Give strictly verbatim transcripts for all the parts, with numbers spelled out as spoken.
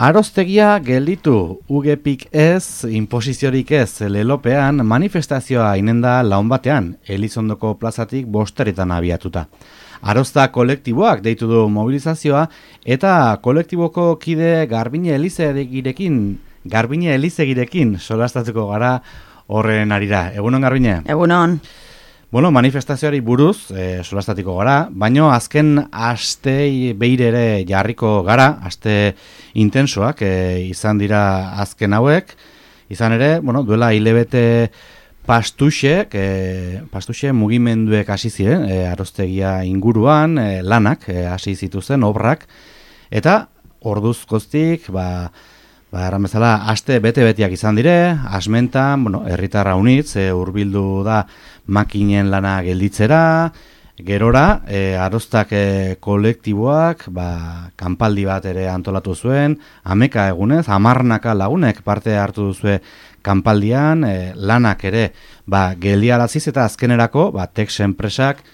Aroztegia gelditu, ugepik ez, inposiziorik ez, lelopean manifestazioa inenda laun batean, Elizondoko plazatik bosteretan abiatuta. Arozta kolektiboak deitu du mobilizazioa eta kolektiboko kide Garbine Elizegirekin, Garbine Elizegirekin solastatuko gara horren arira. Egunon, Garbine? Egunon. Bueno, manifestazioari buruz, e, solastatiko gara, baino azken aste beire ere jarriko gara, aste intensoak e, izan dira azken hauek, izan ere, bueno, duela hilebete pastuxe, e, pastuxe mugimenduek hasi ziren, e, aroztegia inguruan, e, lanak e, hasi zituzen, obrak, eta orduz goztik, ba, Ba, erran bezala, aste bete-betiak izan dire, asmentan, bueno, herritarra unitz, e, hurbildu da makinen lana gelditzera, gerora, e, aroztak e, kolektiboak, ba, kanpaldi bat ere antolatu zuen, ameka egunez, amarnaka lagunek parte hartu duzue kanpaldian, e, lanak ere, ba, geldiaraziz eta azkenerako, ba, Tex enpresak,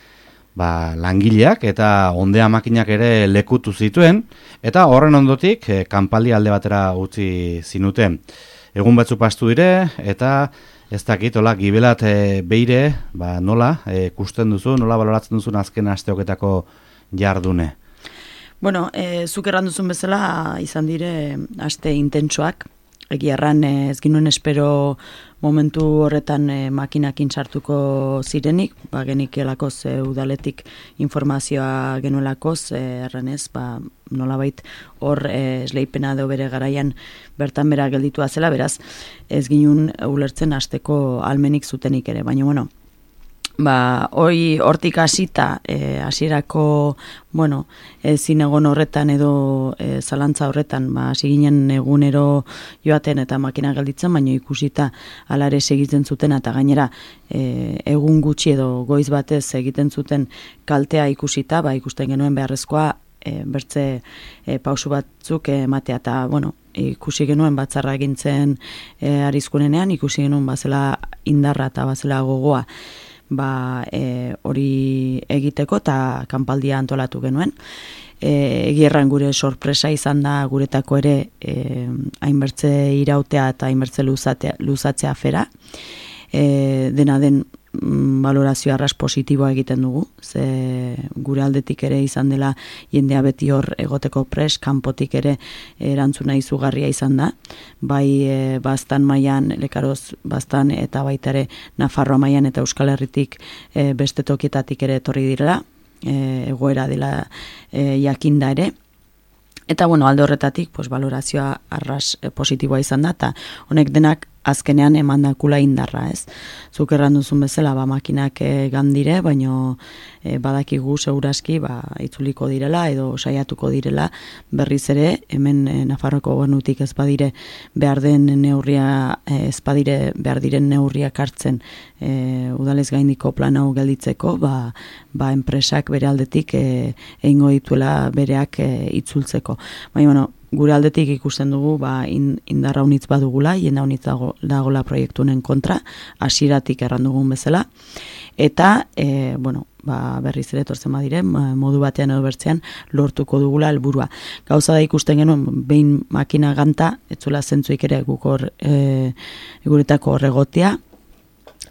ba, langileak eta ondea makinak ere lekutu zituen, eta horren ondotik e, kanpaldi alde batera utzi zinuten. Egun batzu pastu dire, eta ez dakit, hola, gibelat e, beire, ba, nola, e, kusten duzu, nola baloratzen duzun azken asteoketako jardune? Bueno, e, zuk erran duzun bezala izan dire aste intentsoak, egia erran ez ginuen espero momentu horretan e, makinakin sartuko zirenik, ba, genikielakoz e, udaletik informazioa genuelakoz, e, erranez, ba, nolabait hor e, esleipena edo bere garaian bertan bera gelditua zela, beraz, ez ginuen ulertzen hasteko almenik zutenik ere, baina, bueno, ba, hoi hortik hasita e, hasierako, bueno, ezin egon horretan edo e, zalantza horretan, ba, hasi ginen egunero joaten eta makina gelditzen, baina ikusita alare segitzen zuten eta gainera e, egun gutxi edo goiz batez egiten zuten kaltea ikusita, ba, ikusten genuen beharrezkoa e, bertze e, pausu batzuk ematea eta, bueno, ikusi genuen batzarra egintzen e, arizkunenean, ikusi genuen bazela indarra eta bazela gogoa, ba e, hori egiteko eta kanpaldia antolatu genuen. E, egierran gure sorpresa izan da guretako ere e, hainbertze irautea eta hainbertze luzatea, luzatzea afera. E, dena den mm, valorazio arras positiboa egiten dugu, ze gure aldetik ere izan dela jendea beti hor egoteko pres, kanpotik ere erantzuna izugarria izan da, bai e, bastan mailan, lekaroz bastan eta baita ere Nafarroa mailan eta Euskal Herritik e, beste tokietatik ere etorri direla, e, egoera dela e, jakinda ere. Eta, bueno, alde horretatik, pues, valorazioa arras e, positiboa izan da, eta honek denak azkenean emandakula indarra, ez? Zuk erran duzun bezala, ba, makinak e, gandire, baino e, badakigu seguraski, ba, itzuliko direla edo saiatuko direla, berriz ere, hemen e, Nafarroko gobernutik ez badire behar den neurria, e, ez badire behar diren neurriak hartzen e, udalez gaindiko plan hau gelditzeko, ba, ba enpresak bere aldetik e, egingo dituela bereak e, itzultzeko. Baina, bueno, gure aldetik ikusten dugu ba, in, indarra unitz badugula, jenda unitz dago, dagola proiektunen kontra, hasieratik erran dugun bezala, eta e, bueno, ba, berriz ere tortzen badire, modu batean edo bertzean lortuko dugula helburua. Gauza da ikusten genuen, behin makina ganta, etzula zentzuik ere gukor e, guretako horregotia,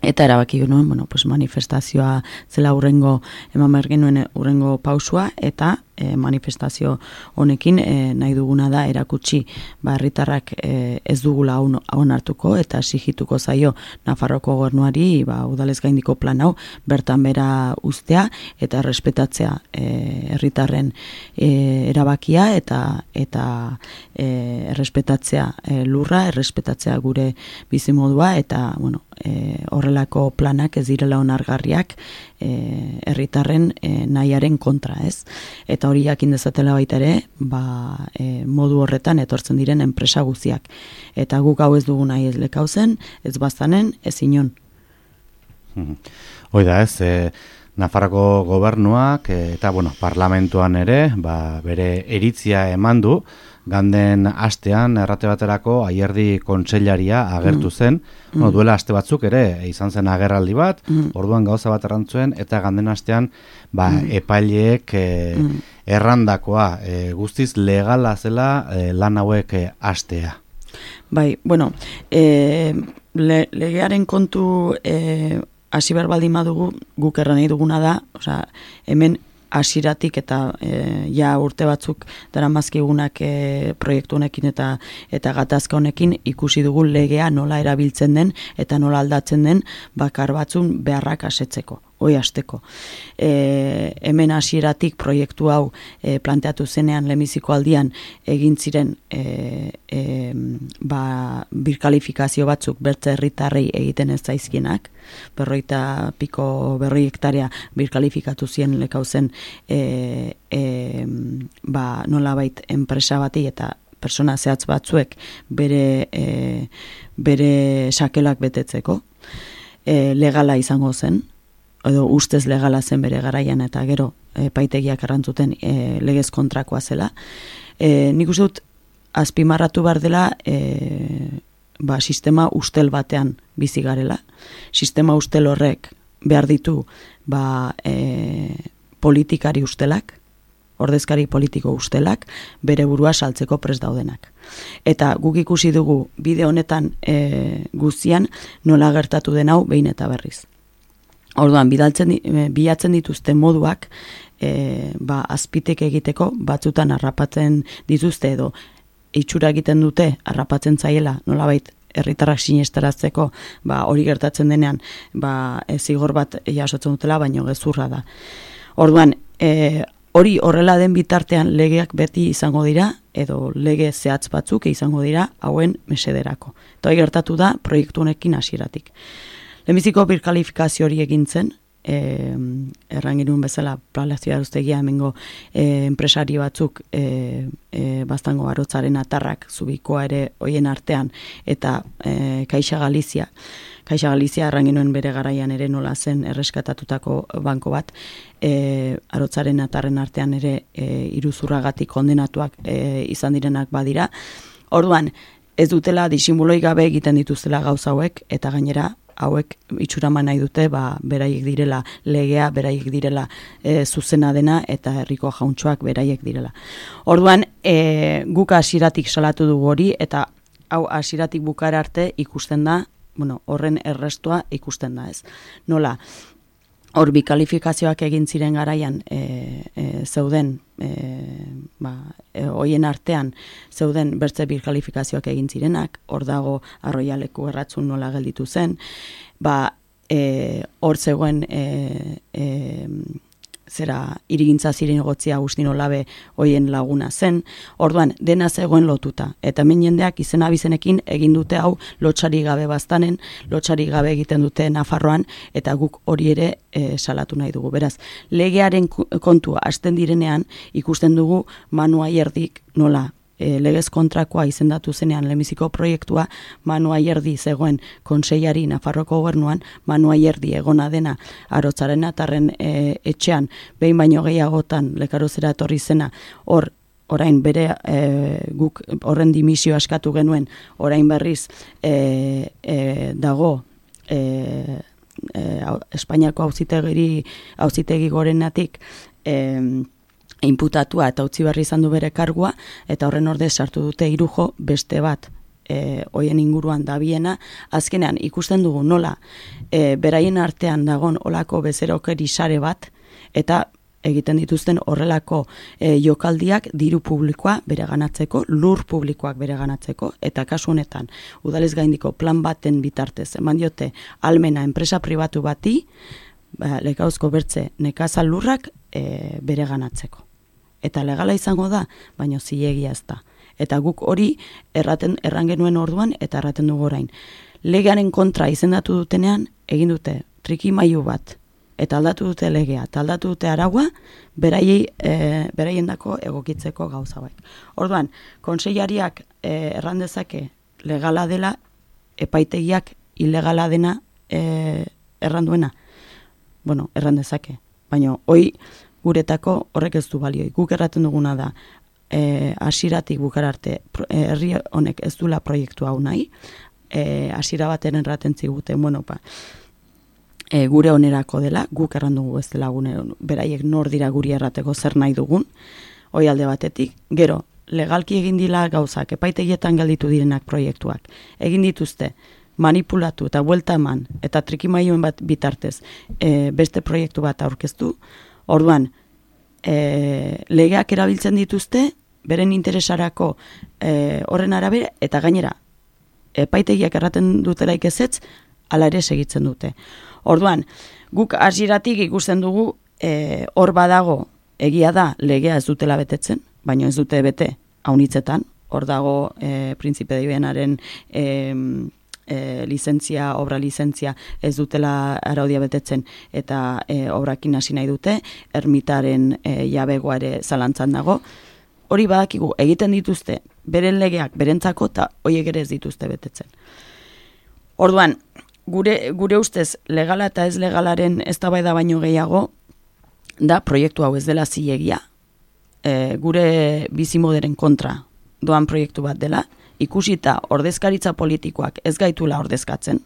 eta erabaki genuen, bueno, pues manifestazioa zela urrengo, eman behar genuen urrengo pausua, eta e, manifestazio honekin e, nahi duguna da erakutsi ba, herritarrak e, ez dugula hon hartuko eta exigituko zaio Nafarroko gobernuari ba, udalez gaindiko plan hau bertan bera uztea eta errespetatzea e, herritarren e, erabakia eta eta e, errespetatzea e, lurra, errespetatzea gure bizimodua eta bueno, e, horrelako planak ez direla onargarriak e, herritarren e, nahiaren kontra, ez? Eta hori jakin dezatela baita ere, ba, e, modu horretan etortzen diren enpresa guztiak. Eta guk hau ez dugu nahi ez lekauzen, ez bazanen, ez inon. Hoi da ez, e, Nafarroko gobernuak e, eta bueno, parlamentuan ere, ba, bere eritzia eman du, ganden astean, errate baterako, Aierdi kontseilaria agertu zen, mm. no, duela aste batzuk ere, izan zen agerraldi bat, mm. orduan gauza bat errantzuen, eta ganden astean, ba, mm. epaileek e, mm. errandakoa, e, guztiz legala zela e, lan hauek e, astea. Bai, bueno, e, le, legearen kontu e, hasi behar baldin badugu, guk erran nahi duguna da, osea, hemen hasiratik eta e, ja urte batzuk daramazkigunak e, proiektu honekin eta eta gatazka honekin ikusi dugu legea nola erabiltzen den eta nola aldatzen den bakar batzun beharrak asetzeko. Hoi hasteko. E, hemen hasieratik proiektu hau e, planteatu zenean lehenbiziko aldian egin ziren e, e, ba, birkalifikazio batzuk bertze herritarrei egiten ez zaizkienak, berroita piko berroi hektarea birkalifikatu zien lekauzen e, e, ba, nolabait enpresa bati eta persona zehatz batzuek bere, e, bere sakelak betetzeko e, legala izango zen, edo ustez legala zen bere garaian eta gero epaitegiak errantzuten e, legez kontrakoa zela. E, nik uste dut azpimarratu behar dela e, ba, sistema ustel batean bizi garela. Sistema ustel horrek behar ditu ba, e, politikari ustelak, ordezkari politiko ustelak, bere burua saltzeko prest daudenak. Eta guk ikusi dugu bide honetan e, guztian nola gertatu den hau behin eta berriz. Orduan, bidaltzen, bilatzen dituzte moduak e, ba, azpitek egiteko batzutan harrapatzen dituzte edo itxura egiten dute harrapatzen zaiela nolabait herritarrak sinestaratzeko ba, hori gertatzen denean ba, e, zigor bat jasotzen dutela, baino gezurra da. Orduan, e, hori horrela den bitartean legeak beti izango dira edo lege zehatz batzuk izango dira hauen mesederako. Eta hori gertatu da proiektu honekin hasieratik. Lehenbiziko birkalifikazio hori egin zen, e, erran genuen bezala Palazio Aruztegia hemengo e, enpresari batzuk e, e, Baztango Arotzaren atarrak zubikoa ere hoien artean eta e, Caixa Galizia. Caixa Galizia erran genuen bere garaian ere nola zen erreskatatutako banko bat, e, Arotzaren atarren artean ere e, iruzurragatik kondenatuak e, izan direnak badira. Orduan, ez dutela disimuloi gabe egiten dituztela gauza hauek eta gainera hauek itxuraman nahi dute, ba, beraiek direla legea, beraiek direla e, zuzena dena eta herriko jauntxoak beraiek direla. Orduan, e, guk hasieratik salatu dugu hori eta hau hasieratik bukara arte ikusten da, bueno, horren errestua ikusten da ez. Nola, hor bikalifikazioak egin ziren garaian e, e, zeuden, e, ba, e, hoien artean zeuden bertze bikalifikazioak egin zirenak, hor dago Arroialeku erratzun nola gelditu zen, ba, e, hor zegoen e, e, zera irigintza ziren egotzia Agustino Labe hoien laguna zen, orduan dena zegoen lotuta, eta hemen jendeak izen abizenekin egin dute hau lotxari gabe baztanen, lotxari gabe egiten dute Nafarroan, eta guk hori ere e, salatu nahi dugu. Beraz, legearen kontua hasten direnean ikusten dugu Manu Aierdik nola E, legez kontrakoa izendatu zenean lehenbiziko proiektua Manu Aierdi zegoen kontseiari Nafarroko gobernuan, Manu Aierdi egona dena Arotzaren atarren e, etxean behin baino gehiagotan lekarozera etorri zena, hor orain bere e, guk horren dimisio askatu genuen, orain berriz e, e, dago e, e, Espainiako auzitegi auzitegi gorenatik e, inputatua eta utzi berri izan du bere kargua, eta horren ordez sartu dute hirujo beste bat e, hoien inguruan dabiena. Azkenean ikusten dugu nola e, beraien artean dagon olako bezerokeri sare bat, eta egiten dituzten horrelako e, jokaldiak diru publikoa bereganatzeko, lur publikoak bereganatzeko, eta kasu honetan udalez gaindiko plan baten bitartez eman diote almena enpresa pribatu bati, ba, lekauzko bertze nekazal lurrak e, bereganatzeko. Eta legala izango da, baina zilegia ez da. Eta guk hori erraten erran genuen orduan eta erraten dugu orain. Legearen kontra izendatu dutenean egin dute trikimailu bat eta aldatu dute legea, eta aldatu dute araua beraiei e, beraiendako egokitzeko gauza baik. Orduan, kontseilariak e, erran dezake legala dela, epaitegiak ilegala dena e, erran duena. Bueno, erran dezake. Baina hoi guretako horrek ez du balioi. Guk erraten duguna da, hasieratik bukara arte herri honek ez dula proiektu hau nahi, hasiera baten erraten ziguten, bueno, pa, e, gure onerako dela, guk erran dugu ez dela gune, beraiek nor dira guri errateko zer nahi dugun, hoi alde batetik, gero, legalki egin dila gauzak, epaitegietan gelditu direnak proiektuak, egin dituzte, manipulatu eta buelta eman, eta trikimaioen bat bitartez, e, beste proiektu bat aurkeztu, orduan, e, legeak erabiltzen dituzte, beren interesarako e, horren arabera, eta gainera, epaitegiak erraten dutelaik ezetz, ala ere segitzen dute. Orduan, guk hasieratik ikusten dugu, e, hor badago, egia da, legea ez dutela betetzen, baina ez dute bete haunitzetan, hor dago e, Prinzipe de Vienaren e, e, lizentzia, obra lizentzia ez dutela araudia betetzen eta e, obrakin hasi nahi dute, ermitaren e, jabegoa ere zalantzan dago, hori badakigu egiten dituzte, beren legeak berentzako eta horiek ere ez dituzte betetzen. Orduan, gure, gure ustez legala eta ez legalaren eztabaida baino gehiago, da proiektu hau ez dela zilegia, e, gure bizimoderen kontra doan proiektu bat dela, ikusita ordezkaritza politikoak ez gaitula ordezkatzen,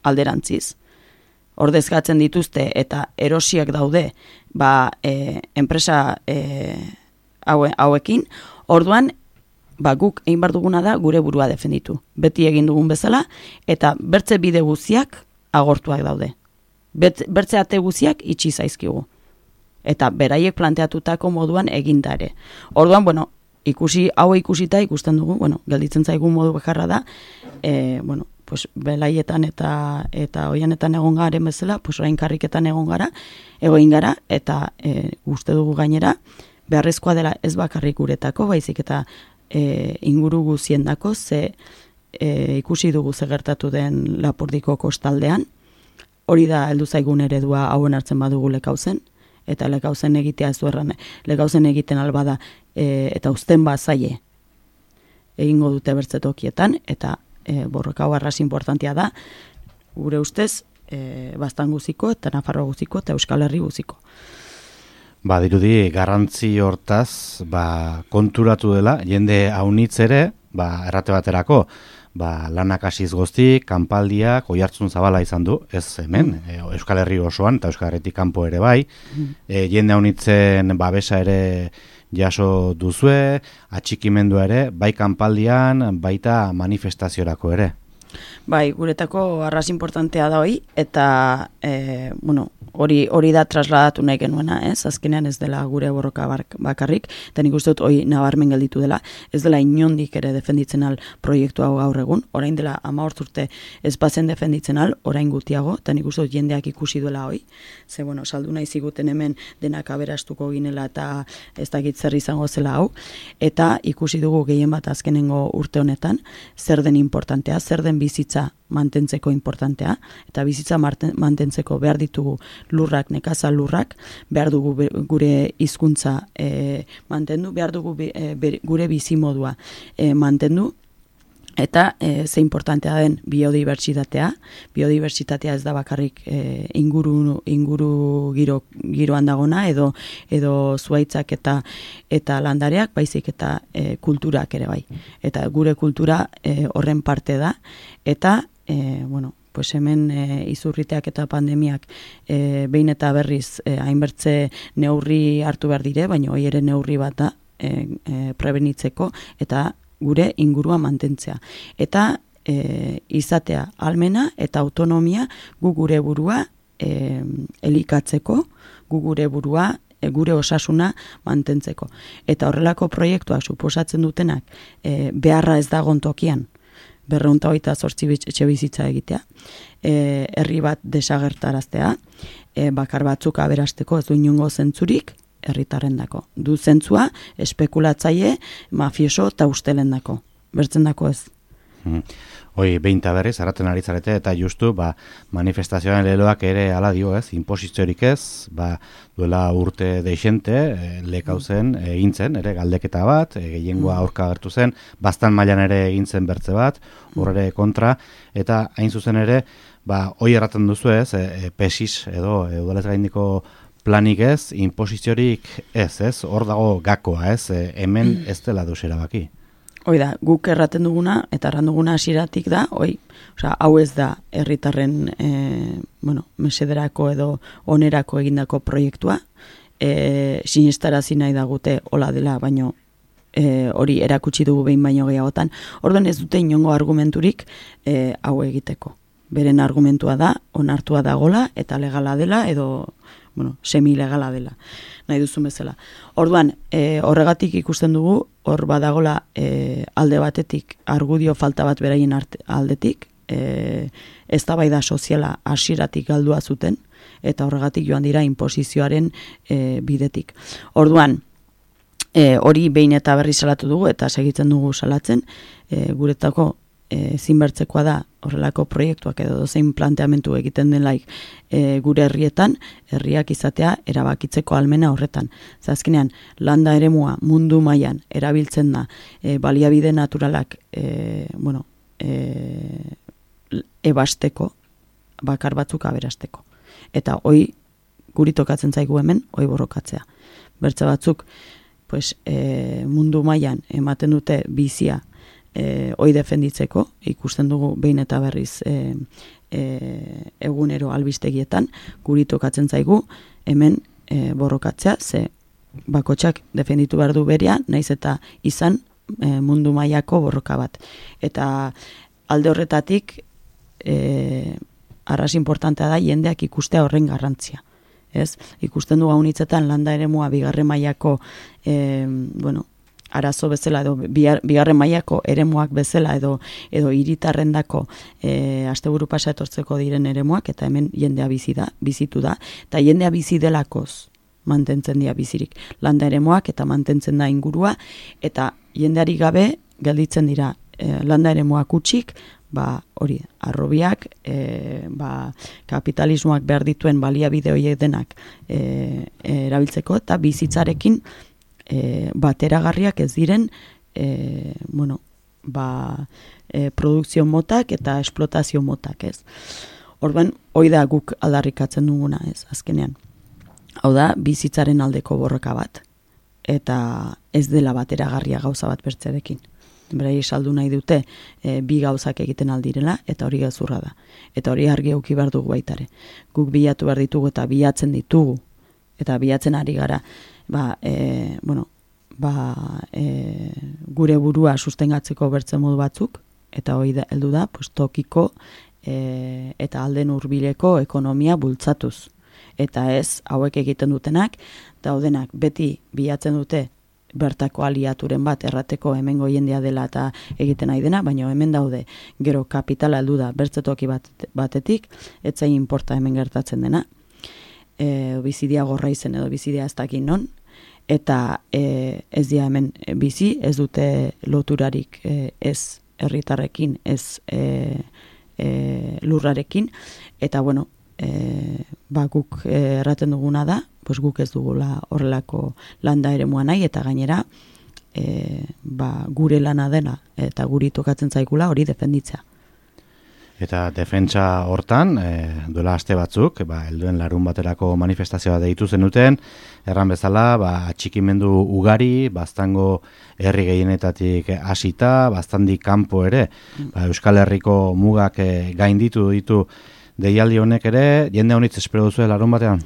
alderantziz, ordezkatzen dituzte eta erosiak daude ba, e, enpresa e, haue, hauekin, orduan ba, guk egin bar duguna da gure burua defenditu. Beti egin dugun bezala, eta bertze bide guziak agortuak daude. Bet, bertze ate guziak itxi zaizkigu. Eta beraiek planteatutako moduan egindare. Orduan, bueno, ikusi, hau ikusita ikusten dugu, bueno, gelditzen zaigun modu bakarra da, e, bueno, pues belaietan eta eta oianetan egon garen bezala, pues orain karriketan egon gara, egoin gara, eta e, uste dugu gainera, beharrezkoa dela ez bakarrik guretako, baizik eta e, inguru guziendako, ze e, ikusi dugu ze gertatu den Lapurdiko kostaldean, hori da heldu zaigun eredua hauen hartzen badugu lekauzen, eta lekauzen egitea ez duerran, lekauzen egiten albada e, eta uzten bazaie egingo dute bertzetokietan, eta e, borroka hau arras importantia da, gure ustez, e, Baztan guziko, eta Nafarroa guziko, eta Euskal Herri guziko. Ba, dirudi, garrantzi hortaz, ba, konturatu dela, jende haunitz ere, ba, errate baterako, ba, lanak hasiz goztik, kanpaldiak, oihartzun zabala izan du, ez hemen, e, Euskal Herri osoan, eta Euskal Herritik kanpo ere bai, e, jende haunitzen babesa ere jaso duzue, atxikimendua ere, bai kanpaldian, baita manifestaziorako ere. Bai, guretako arras importantea da hoi, eta, e, bueno, hori hori da trasladatu nahi genuena, ez? Azkenean ez dela gure borroka bakarrik, eta nik uste dut hori nabarmen gelditu dela, ez dela inondik ere defenditzen al proiektu hau gaur egun, orain dela hamabost urte ez bazen defenditzen al, orain gutiago, eta nik uste dut jendeak ikusi duela hoi, ze, bueno, saldu nahi ziguten hemen denak aberastuko ginela eta ez dakit zer izango zela hau, eta ikusi dugu gehien bat azkenengo urte honetan, zer den importantea, zer den bizitza mantentzeko importantea, eta bizitza mantentzeko behar ditugu lurrak, nekazal lurrak, behar dugu gure hizkuntza e, mantendu, behar dugu e, gure bizimodua e, mantendu, eta e, ze importantea den biodibertsitatea. Biodibertsitatea ez da bakarrik e, inguru, inguru giro, giroan dagona, edo, edo zuaitzak eta, eta landareak, baizik eta e, kulturak ere bai. Eta gure kultura e, horren parte da, eta E, bueno, pues hemen e, izurriteak eta pandemiak e, behin eta berriz e, hainbertze neurri hartu behar dire, baina hori ere neurri bat da e, e, prebenitzeko eta gure ingurua mantentzea. Eta e, izatea almena eta autonomia gu gure burua e, elikatzeko, gu gure burua e, gure osasuna mantentzeko. Eta horrelako proiektuak suposatzen dutenak e, beharra ez dagon tokian, berreunta hogeita zortzi etxe bizitza egitea, e, herri bat desagertaraztea, e, bakar batzuk aberasteko ez du inongo zentzurik herritarrendako. Du zentzua espekulatzaile, mafioso eta ustelendako. Bertzendako ez. Hmm. Hoi, behinta berriz, arraten ari zarete, eta justu, ba, manifestazioan leloak ere ala dio, ez, inposiziorik ez, ba, duela urte deixente, e, lekauzen, egin zen, ere, galdeketa bat, e, gehiengoa aurka agertu zen, Baztan mailan ere egin zen bertze bat, horre kontra, eta hain zuzen ere, ba, hoi erraten duzu ez, e, pesis edo, e, udalez gaindiko planik ez, inposiziorik ez, ez? Hor dago gakoa, ez? E, hemen ez dela deus erabaki. Hoi da, guk erraten duguna, eta erran duguna hasieratik da, hoi, osea, hau ez da herritarren e, bueno, mesederako edo onerako egindako proiektua, e, sinestarazi nahi dagute hola dela, baino e, hori erakutsi dugu behin baino gehiagotan, orduan ez dute inongo argumenturik e, hau egiteko. Beren argumentua da, onartua dagola, eta legala dela, edo bueno, semi-legala dela, nahi duzun bezala. Orduan, e, horregatik ikusten dugu, hor badagola e, alde batetik argudio falta bat beraien arte, aldetik, e, eztabaida soziala hasieratik galdua zuten, eta horregatik joan dira inposizioaren e, bidetik. Orduan, e, hori behin eta berri salatu dugu, eta segitzen dugu salatzen, e, guretako ezinbertzekoa da horrelako proiektuak edo dozein planteamentu egiten den laik e, gure herrietan, herriak izatea erabakitzeko almena horretan. Zazkenean, landa eremua mundu mailan erabiltzen da e, baliabide naturalak e, bueno, e, ebasteko, bakar batzuk aberasteko. Eta hoi guri tokatzen zaigu hemen, hoi borrokatzea. Bertze batzuk, pues, e, mundu mailan ematen dute bizia E, hoi defenditzeko, ikusten dugu behin eta berriz e, e, egunero albistegietan, guri tokatzen zaigu, hemen e, borrokatzea, ze bakotxak defenditu behar du berea, naiz eta izan e, mundu mailako borroka bat. Eta alde horretatik, e, arras importantea da jendeak ikustea horren garrantzia. Ez? Ikusten dugu haunitzetan landa eremua bigarren mailako e, bueno, arazo bezala edo bigarren mailako eremuak bezala edo edo hiritarrendako e, asteburu pasa etortzeko diren eremuak eta hemen jendea bizi da, bizitu da eta jendea bizi delakoz mantentzen dira bizirik. Landa eremuak eta mantentzen da ingurua eta jendeari gabe gelditzen dira e, landa eremuak utxik, ba hori, arrobiak, e, ba, kapitalismoak behar dituen baliabide horiek denak e, e, erabiltzeko eta bizitzarekin E, bateragarriak ez diren e, bueno, ba, e, produkzio motak eta esplotazio motak, ez. Orduan, hoi da guk aldarrikatzen duguna, ez, azkenean. Hau da, bizitzaren aldeko borroka bat, eta ez dela bateragarria gauza bat bertzerekin. Berai saldu nahi dute e, bi gauzak egiten aldirela, eta hori gezurra da. Eta hori argi eduki behar dugu baitare. Guk bilatu behar ditugu eta bilatzen ditugu, eta bilatzen ari gara, ba, e, bueno, ba, e, gure burua sustengatzeko bertzen modu batzuk, eta hori da, heldu da, pues, tokiko e, eta alden hurbileko ekonomia bultzatuz. Eta ez, hauek egiten dutenak, daudenak beti bilatzen dute bertako aliaturen bat errateko hemengo jendea dela eta egiten nahi dena, baina hemen daude gero kapitala heldu da bertzetoki bat, batetik, etzain inporta hemen gertatzen dena, e, bizidia gorra izen edo bizidia ez dakin non, eta e, ez dira hemen bizi, ez dute loturarik e, ez herritarrekin, ez e, e, lurrarekin, eta bueno, e, ba, guk e, erraten duguna da, pues guk ez dugula horrelako landa eremua nahi, eta gainera e, ba, gure lana dela, eta guri tokatzen zaigula hori defenditzea. Eta defentsa hortan, e, duela aste batzuk, ba, helduen larun baterako manifestazioa deitu zenuten, erran bezala, ba, atxikimendu ugari, baztango herri gehienetatik hasita, baztandik kanpo ere, ba, Euskal Herriko mugak e, gainditu ditu deialdi honek ere, jende honitz espero duzu larun batean?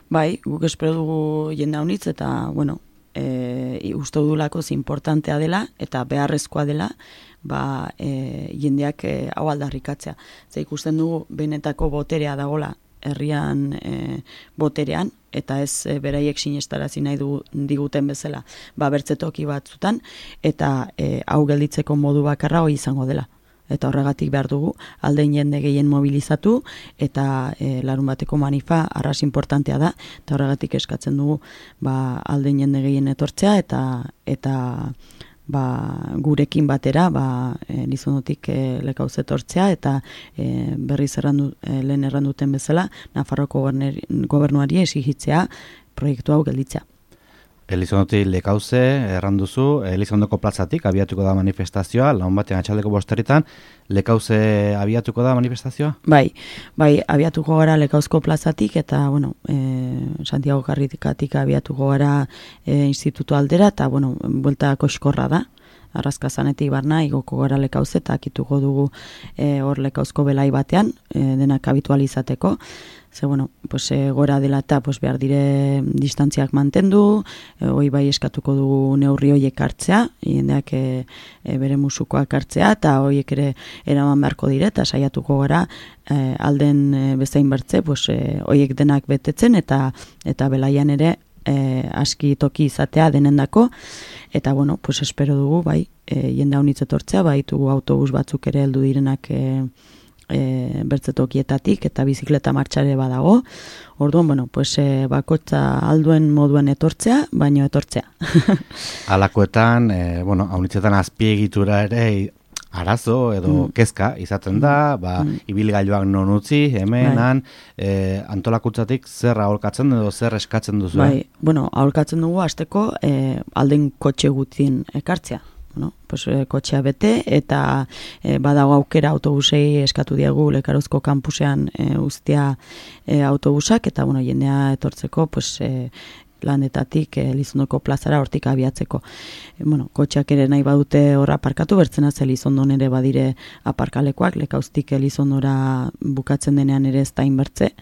Bai, guk espero dugu jende honitz, eta, bueno, e, uste dudulako importantea dela, eta beharrezkoa dela, ba, e, jendeak e, hau aldarrikatzea. Ze ikusten dugu benetako boterea dagola herrian e, boterean, eta ez e, beraiek sinestarazi nahi du, diguten bezala ba, bertzetoki batzutan, eta e, hau gelditzeko modu bakarra hori izango dela. Eta horregatik behar dugu aldein jende gehien mobilizatu, eta e, larun bateko manifa arras importantea da, eta horregatik eskatzen dugu ba, aldein jende gehien etortzea, eta eta ba, gurekin batera ba, e, lizonotik e, lekauz etortzea, eta e, berriz errandu, e, lehen erranduten bezala, Nafarroko gobernuari esigitzea proiektu hau gelditzea. Elizondotik lekauze, erranduzu, Elizondoko plazatik abiatuko da manifestazioa, laun batean atxaldeko bosterritan, lekauze abiatuko da manifestazioa? Bai, bai, abiatuko gara lekauzko plazatik, eta, bueno, e, Santiago Karrikatik abiatuko gara e, institutu aldera, eta, bueno, buelta koskorra da. Arrazkazanetik barna, igoko gara lekauze, eta akituko dugu e, hor lekauzko belai batean, e, denak habitualizateko. Ze, bueno, pues, e, gora dela eta pues, behar dire distantziak mantendu, e, hoi bai eskatuko dugu neurri hoiek hartzea, jendeak e, e, bere musukoak hartzea, eta hoiek ere eraman beharko dire, eta saiatuko gara e, alden e, bezain bertze, pues, e, hoiek denak betetzen, eta eta belaian ere e, aski toki izatea denendako, eta, bueno, pues, espero dugu, bai, e, jende haunitz etortzea, bai, tugu autobus batzuk ere heldu direnak e, E, bertzetokietatik eta bizikleta martxare badago. Orduan, bueno, pues, e, bakotza alduen moduen etortzea, baino etortzea. Alakoetan, e, bueno, haunitzetan azpiegitura ere arazo edo mm. kezka izaten da, ba, mm. ibilgailuak non utzi, hemenan, e, antolakutzatik zer aholkatzen edo zer eskatzen duzu? Bai, bueno, aholkatzen dugu hasteko e, alden kotxe gutien ekartzea. Bueno, pues, e, kotxea bete, eta e, badago aukera autobusei eskatu diegu Lekarozko kampusean e, uztea e, autobusak, eta, bueno, jendea etortzeko, pues, e, landetatik e, Elizondoko plazara hortik abiatzeko. E, bueno, kotxeak ere nahi badute horra aparkatu, bertzena ze Elizondon ere badire aparkalekoak, Lekauztik Elizondora bukatzen denean ere ez da inbertze,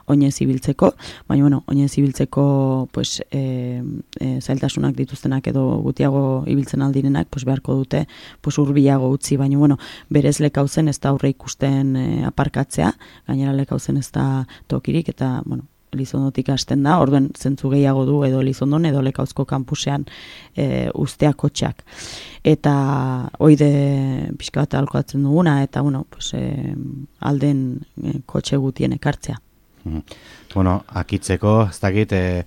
oinez ibiltzeko, baina, bueno, oinez ibiltzeko, pues, e, e, zailtasunak dituztenak edo gutiago ibiltzen aldirenak, pues, beharko dute, pues, urbiago utzi, baina, bueno, berez Lekauzen ez da aurre ikusten e, aparkatzea, gainera Lekauzen ez da tokirik, eta, bueno, Elizondotik hasten da, orduen zentzu gehiago du edo Elizondon edo Lekauzko kampusean e, ustea kotxeak. Eta hoide pixka bat alkoatzen duguna, eta, bueno, pues, e, alden e, kotxe gutien ekartzea. Mm. Bueno, akitzeko, ez dakit, e,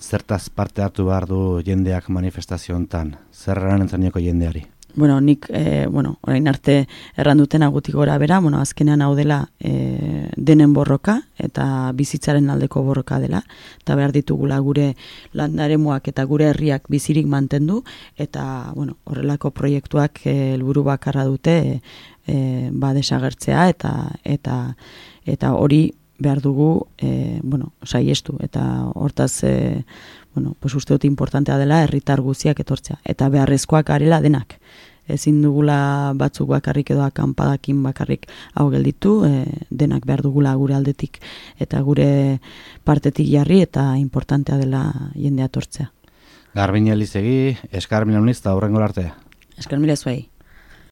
zertaz parte hartu behar du jendeak manifestazio hontan? Zer eran entzanieko jendeari? Bueno, nik, e, bueno, orain arte erranduten agutik gora bera, bueno, azkenean hau dela e, denen borroka, eta bizitzaren aldeko borroka dela, eta behar ditugula gure landaremuak eta gure herriak bizirik mantendu, eta, bueno, horrelako proiektuak helburu bakarra dute e, ba desagertzea, eta eta eta hori behar dugu, e, bueno, saiestu, eta hortaz, e, bueno, pues uste dut importantea dela herritar guziak etortzea, eta beharrezkoak garela denak. Ezin dugula batzuk bakarrik edo akanpadakin bakarrik hau gelditu, e, denak behar dugula gure aldetik, eta gure partetik jarri, eta importantea dela jendea etortzea. Garbine Elizegi, eskar mila uniz, eta horrengo arte. Eskar mila zuei.